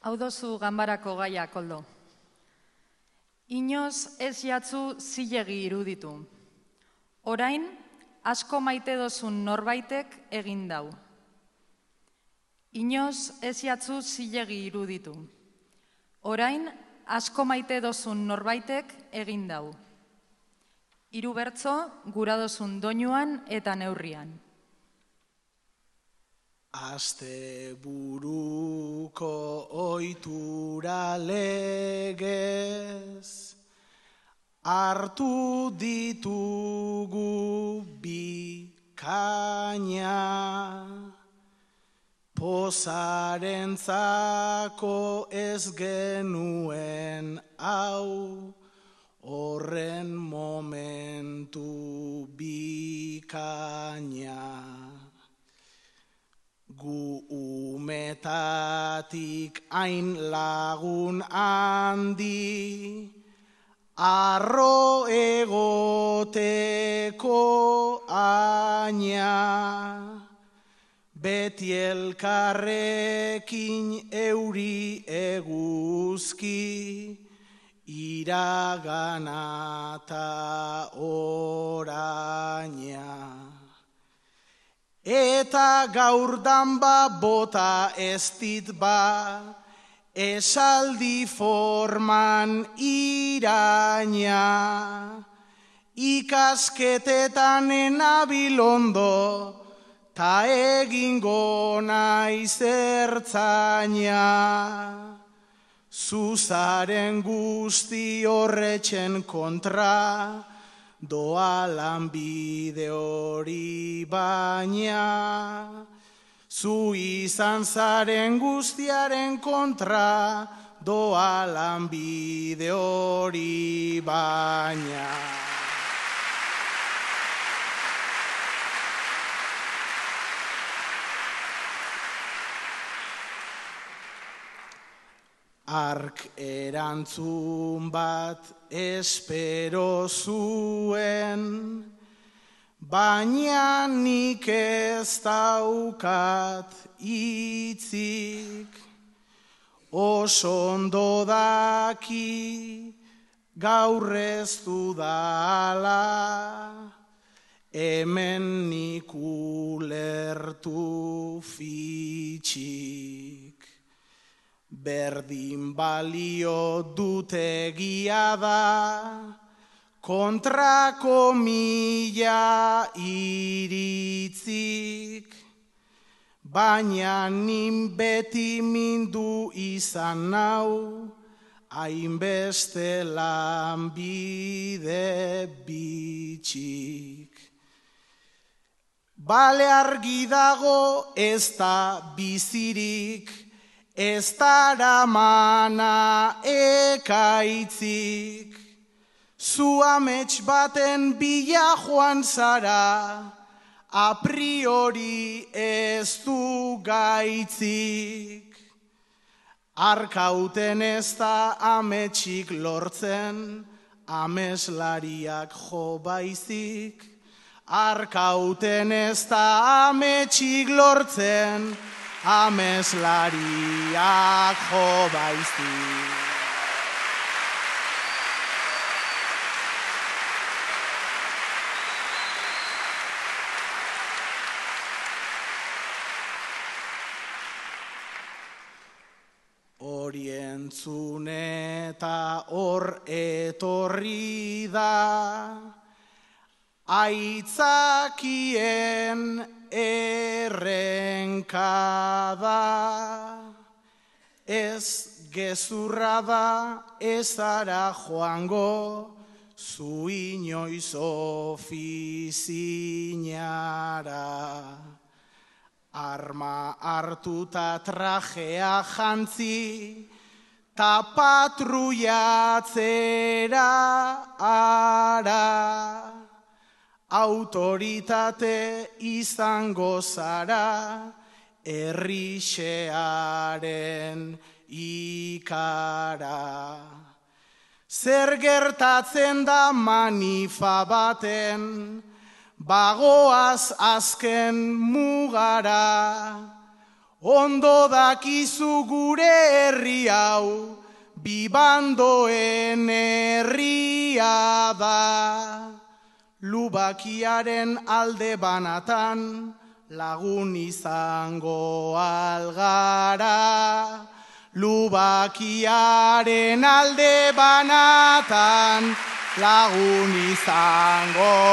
Hau dozu ganbarako gaia, Koldo. Inoz ez jatzu zilegi iruditu. Orain, asko maite dozun norbaitek egin dau. Inoz ez jatzu zilegi iruditu. Orain, asko maite dozun norbaitek egin dau. Hiru bertso gura dozun doinuan eta neurrian. Asteburuko ohitura legez hartu ditugu bikaina, pozarentzako ez genuen hau, horren momentu bikaina. Gu umetatik hain lagun handi, arro egoteko aina, beti elkarrekin euri eguzki, iragana ta oraina. Eta gaur danba bota ez dit ba, esaldi forman iraina, ikasketetan enabilondo, ta egingo naiz ertzaina. Zuzaren guzti horretxen kontra, doa lanbide hori baina, zu izan zaren guztiaren kontra, doa lanbide hori baina. Ark erantzun bat espero zuen, baina nik ez daukat hitzik. Oso ondo daki gaur ez dudala, hemen nik ulertu fitxik. Berdin balio dute egia da, kontrako mila iritzik, baina nin beti mindu izan nau, hainbeste lanbide bitxik. Bale argi dago ez da bizirik, ez daramana ekaitzik, zu amets baten bila joan zara, a priori ez du gaitzik. Arkauten ez da ametsik lortzen, ameslariak jo baizik. Arkauten ez da ametsik lortzen, ameslariak jo baizik. Hori entzun eta hor etorri da, aitzakien errenkada, ez gezurra da ez ara joango, zu inoiz ofizinara. Arma hartuta trajea jantzi, ta patruiatzera ara. Autoritate izango zara, herrixearen ikara. Zer gertatzen da manifa baten, bagoaz azken mugara, ondo dakizu gure herri herri hau, bibandoen herria da. Lubakiaren alde banatan, lagun izango algara. Lubakiaren alde banatan, lagun izango